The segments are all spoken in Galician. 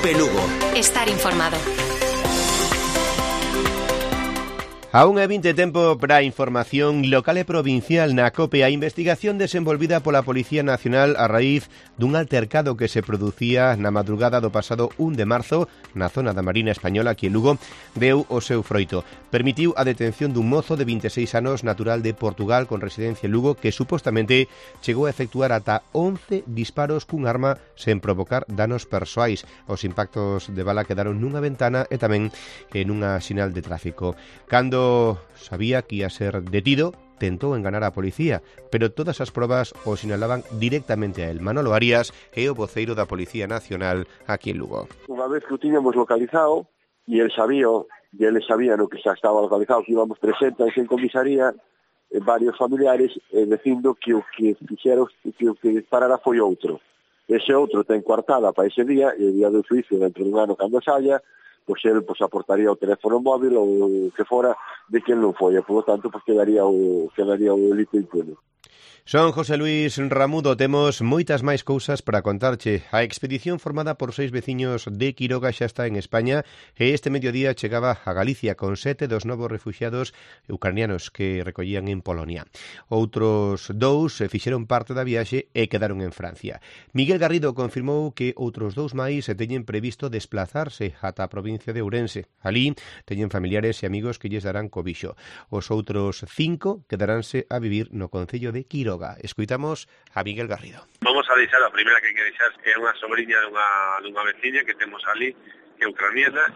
Cope Lugo. Estar informado. A 1:20 tempo para a información local e provincial na COPE. A investigación desenvolvida pola Policía Nacional a raíz dun altercado que se producía na madrugada do pasado 1 de marzo na zona da Marina Española aquí en Lugo deu o seu froito. Permitiu a detención dun mozo de 26 anos natural de Portugal con residencia en Lugo que supostamente chegou a efectuar ata 11 disparos cun arma sen provocar danos persoais. Os impactos de bala quedaron nunha ventana e tamén nunha sinal de tráfico. Cando sabía que ia ser detido, tentou enganar a policía, pero todas as probas o sinalaban directamente a él. Manolo Arias é o voceiro da Policía Nacional aquí en Lugo. Unha vez que o tiñamos localizado, e eles sabían que xa estaba localizado, que íbamos presentes en comisaría, varios familiares, dicindo que o que fixeron, que o que disparara foi outro. Ese outro ten coartada para ese día, e o día do xuicio dentro dun ano cando saia, pois el aportaría o teléfono móvil ou o que fora de quen non foi, e por lo tanto quedaría o delito impune. Son José Luis Ramudo, temos moitas máis cousas para contarche. A expedición formada por 6 veciños de Quiroga xa está en España e este mediodía chegaba a Galicia con 7 dos novos refuxiados ucranianos que recollían en Polonia. Outros 2 fixeron parte da viaxe e quedaron en Francia. Miguel Garrido confirmou que outros 2 máis teñen previsto desplazarse ata a provincia de Ourense. Alí teñen familiares e amigos que lles darán cobixo. Os outros 5 quedaránse a vivir no concello de Quiroga. Escuitamos a Miguel Garrido. Vamos a deixar, a primeira que hai que deixar é unha sobrinha dunha veciña que temos ali, que é ucraniana,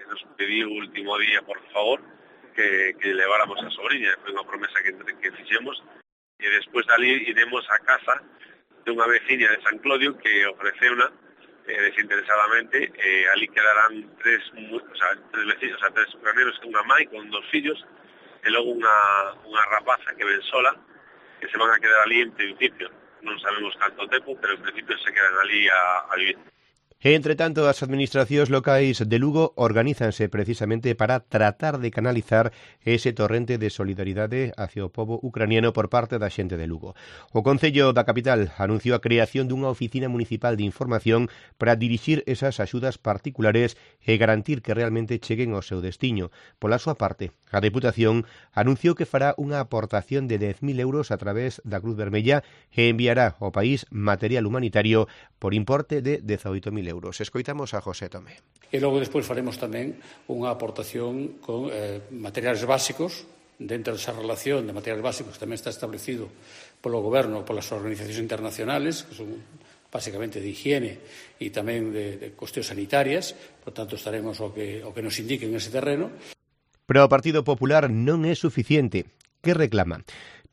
nos pediu o último día, por favor, que leváramos a sobrinha, foi unha promesa que fixemos, e despois dali iremos a casa dunha veciña de San Clodio que ofreceuna desinteresadamente, ali quedarán tres vecinos, 3 ucranianos, unha mãe con 2 fillos, e logo unha rapaza que ven sola, que se van a quedar ali en principio. Non sabemos canto tempo, pero en principio se quedan ali a vivir. Entre tanto, as administracións locais de Lugo organízanse precisamente para tratar de canalizar ese torrente de solidaridade hacia o pobo ucraniano por parte da xente de Lugo. O Concello da capital anunciou a creación dunha oficina municipal de información para dirixir esas axudas particulares e garantir que realmente cheguen ao seu destiño. Pola súa parte, a Deputación anunciou que fará unha aportación de 10.000 euros a través da Cruz Vermella e enviará ao país material humanitario por importe de 18.000 euros. Escoitamos a José Tomé. E logo despois faremos tamén unha aportación con materiales básicos. Dentro desa relación de materiales básicos tamén está establecido polo Goberno, polas organizacións internacionales, que son básicamente de higiene e tamén de cuestións sanitarias. Por tanto, estaremos o que nos indique en ese terreno. Pero o Partido Popular non é suficiente. Que reclama?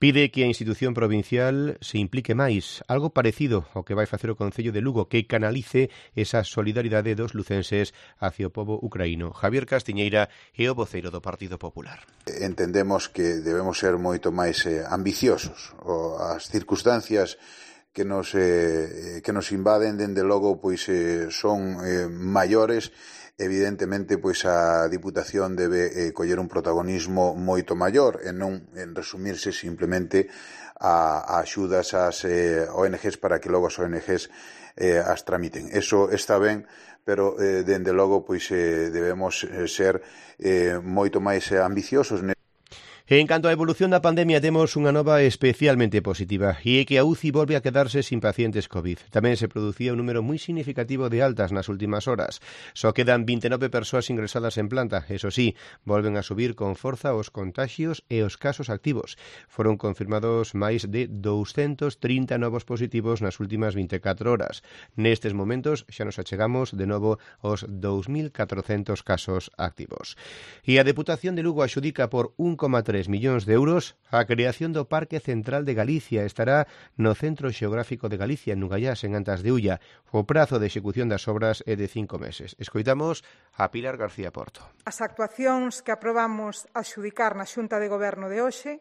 Pide que a institución provincial se implique máis, algo parecido ao que vai facer o Concello de Lugo, que canalice esa solidaridade dos lucenses hacia o pobo ucraíno. Javier Castiñeira é o voceiro do Partido Popular. Entendemos que debemos ser moito máis ambiciosos. As circunstancias que nos invaden, dende logo, pois son maiores. Evidentemente, pois a Diputación debe coller un protagonismo moito maior e non resumirse simplemente a axudas ás ONGs para que logo as ONGs as tramiten. Eso está ben, pero dende logo pois debemos ser moito máis ambiciosos. En canto á evolución da pandemia, temos unha nova especialmente positiva, e é que a UCI volve a quedarse sin pacientes COVID. Tamén se producía un número moi significativo de altas nas últimas horas. Só quedan 29 persoas ingresadas en planta. Eso sí, volven a subir con forza os contagios e os casos activos. Foron confirmados máis de 230 novos positivos nas últimas 24 horas. Nestes momentos xa nos achegamos de novo aos 2.400 casos activos. E a Deputación de Lugo axudica por 1,3 millóns de euros a creación do Parque Central de Galicia. Estará no Centro Xeográfico de Galicia, en Nugallás, en Antas de Ulla. O prazo de execución das obras é de 5 meses. Escoitamos a Pilar García Porto. As actuacións que aprobamos adxudicar na Xunta de Goberno de hoxe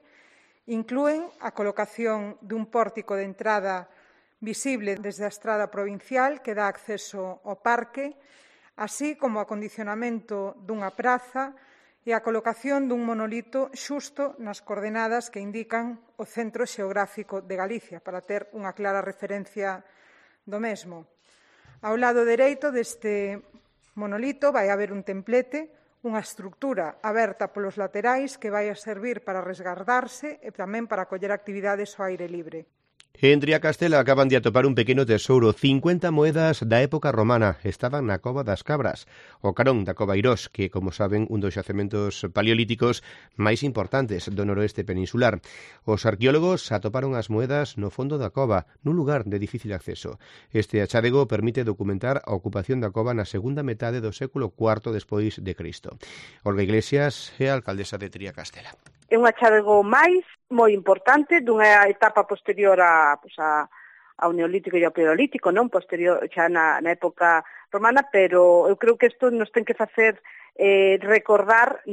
inclúen a colocación dun pórtico de entrada visible desde a estrada provincial que dá acceso ao parque, así como o acondicionamento dunha praza e a colocación dun monolito xusto nas coordenadas que indican o Centro Xeográfico de Galicia, para ter unha clara referencia do mesmo. Ao lado dereito deste monolito vai haber un templete, unha estrutura aberta polos laterais que vai a servir para resguardarse e tamén para acoller actividades ao aire libre. En Triacastela acaban de atopar un pequeno tesouro, 50 moedas da época romana, estaban na Cova das Cabras, o carón da Cova Irós, que, como saben, un dos xacementos paleolíticos máis importantes do noroeste peninsular. Os arqueólogos atoparon as moedas no fondo da cova, nun lugar de difícil acceso. Este achádego permite documentar a ocupación da cova na segunda metade do século IV despois de Cristo. Olga Iglesias é a alcaldesa de Triacastela. É un achádego máis moi importante dunha etapa posterior ao Neolítico e ao Paleolítico, non posterior xa na época romana, pero eu creo que isto nos ten que facer recordar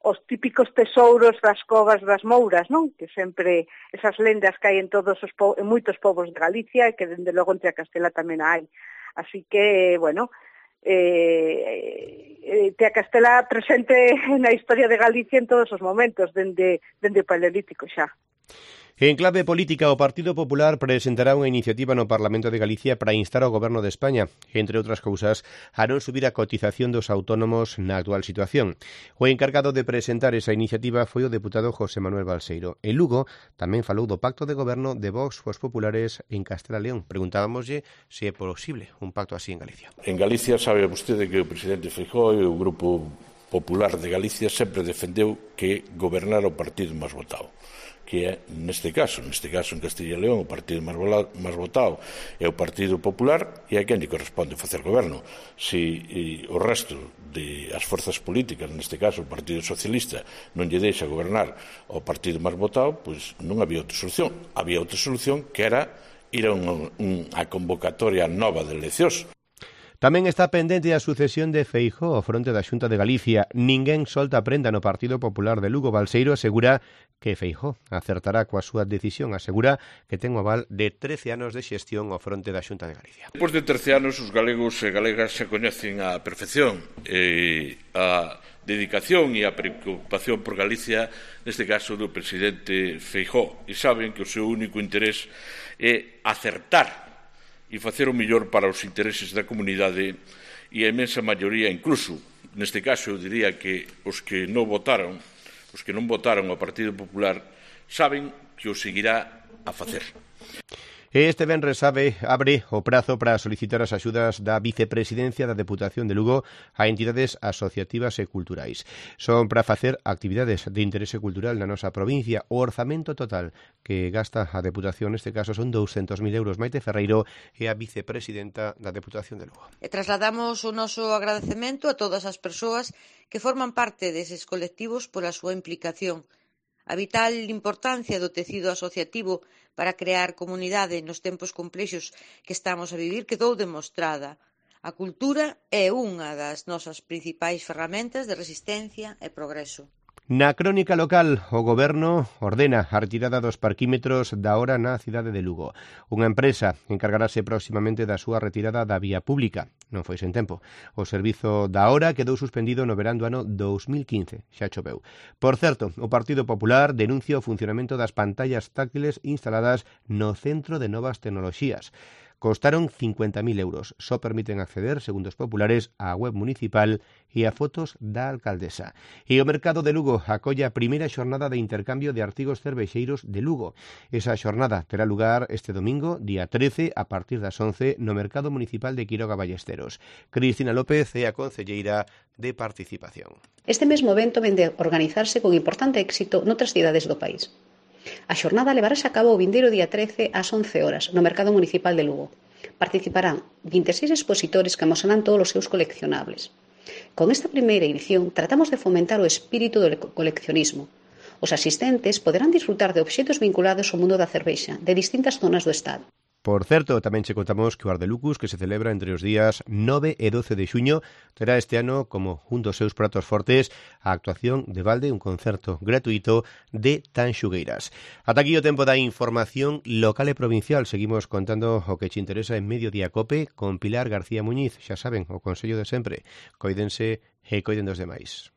os típicos tesouros das covas das Mouras, non? Que sempre esas lendas que hai en en moitos povos de Galicia e que dende logo en Triacastela tamén hai. Así que, bueno, Triacastela presente na historia de Galicia en todos os momentos, dende o Paleolítico xa. En clave política, o Partido Popular presentará unha iniciativa no Parlamento de Galicia para instar ao Goberno de España, entre outras cousas, a non subir a cotización dos autónomos na actual situación. O encargado de presentar esa iniciativa foi o deputado José Manuel Balseiro. En Lugo tamén falou do pacto de goberno de Vox cos populares en Castela León. Preguntábamoslle se é posible un pacto así en Galicia. En Galicia sabe vostede que o presidente Feijóo e o Grupo Popular de Galicia sempre defendeu que gobernara o partido máis votado, que é neste caso en Castilla e León o partido máis votado é o Partido Popular e é quen lle corresponde facer goberno. Se o resto das forzas políticas, neste caso o Partido Socialista, non lle deixa gobernar ao partido máis votado, pois non había outra solución. Había outra solución que era ir a convocatoria nova de eleccións. Tamén está pendente a sucesión de Feijóo ao fronte da Xunta de Galicia. Ninguén solta a prenda no Partido Popular de Lugo. Balseiro asegura que Feijóo acertará coa súa decisión. Asegura que ten o aval de 13 anos de xestión ao fronte da Xunta de Galicia. Depois de 13 anos, os galegos e galegas se coñecen á perfección a dedicación e a preocupación por Galicia, neste caso do presidente Feijóo, e saben que o seu único interés é acertar e facer o mellor para os intereses da comunidade e a imensa maioría, incluso, neste caso, eu diría que os que non votaron ao Partido Popular, saben que o seguirá a facer. Este venres abre o prazo para solicitar as axudas da Vicepresidencia da Deputación de Lugo a entidades asociativas e culturais. Son para facer actividades de interese cultural na nosa provincia. O orzamento total que gasta a Deputación neste caso son 200.000 euros. Maite Ferreiro é a Vicepresidenta da Deputación de Lugo. E trasladamos o noso agradecemento a todas as persoas que forman parte deses colectivos pola súa implicación. A vital importancia do tecido asociativo para crear comunidade nos tempos complexos que estamos a vivir quedou demostrada. A cultura é unha das nosas principais ferramentas de resistencia e progreso. Na crónica local, o Goberno ordena a retirada dos parquímetros da hora na cidade de Lugo. Unha empresa encargarase próximamente da súa retirada da vía pública. Non foi sen tempo. O servizo da hora quedou suspendido no verán do ano 2015. Xa choveu. Por certo, o Partido Popular denuncia o funcionamento das pantallas táctiles instaladas no Centro de Novas Tecnoloxías. Costaron 50.000 euros. Só permiten acceder, segundo os populares, á web municipal e a fotos da alcaldesa. E o mercado de Lugo acolle a primeira xornada de intercambio de artigos cervexeiros de Lugo. Esa xornada terá lugar este domingo, día 13, a partir das 11, no mercado municipal de Quiroga Ballesteros. Cristina López é a concelleira de Participación. Este mesmo evento vende a organizarse con importante éxito noutras cidades do país. A xornada levarase a cabo o vindeiro día 13 ás 11 horas no Mercado Municipal de Lugo. Participarán 26 expositores que amosarán todos os seus coleccionables. Con esta primeira edición tratamos de fomentar o espírito do coleccionismo. Os asistentes poderán disfrutar de obxetos vinculados ao mundo da cervexa de distintas zonas do Estado. Por certo, tamén che contamos que o Ardelucus, que se celebra entre os días 9 e 12 de xuño, terá este ano como un dos seus pratos fortes a actuación de balde, un concerto gratuito de Tanxugueiras. Ata aquí o tempo da información local e provincial. Seguimos contando o que che interesa en Mediodía Cope con Pilar García Muñiz. Xa saben, o consello de sempre. Coídense e coiden dos demais.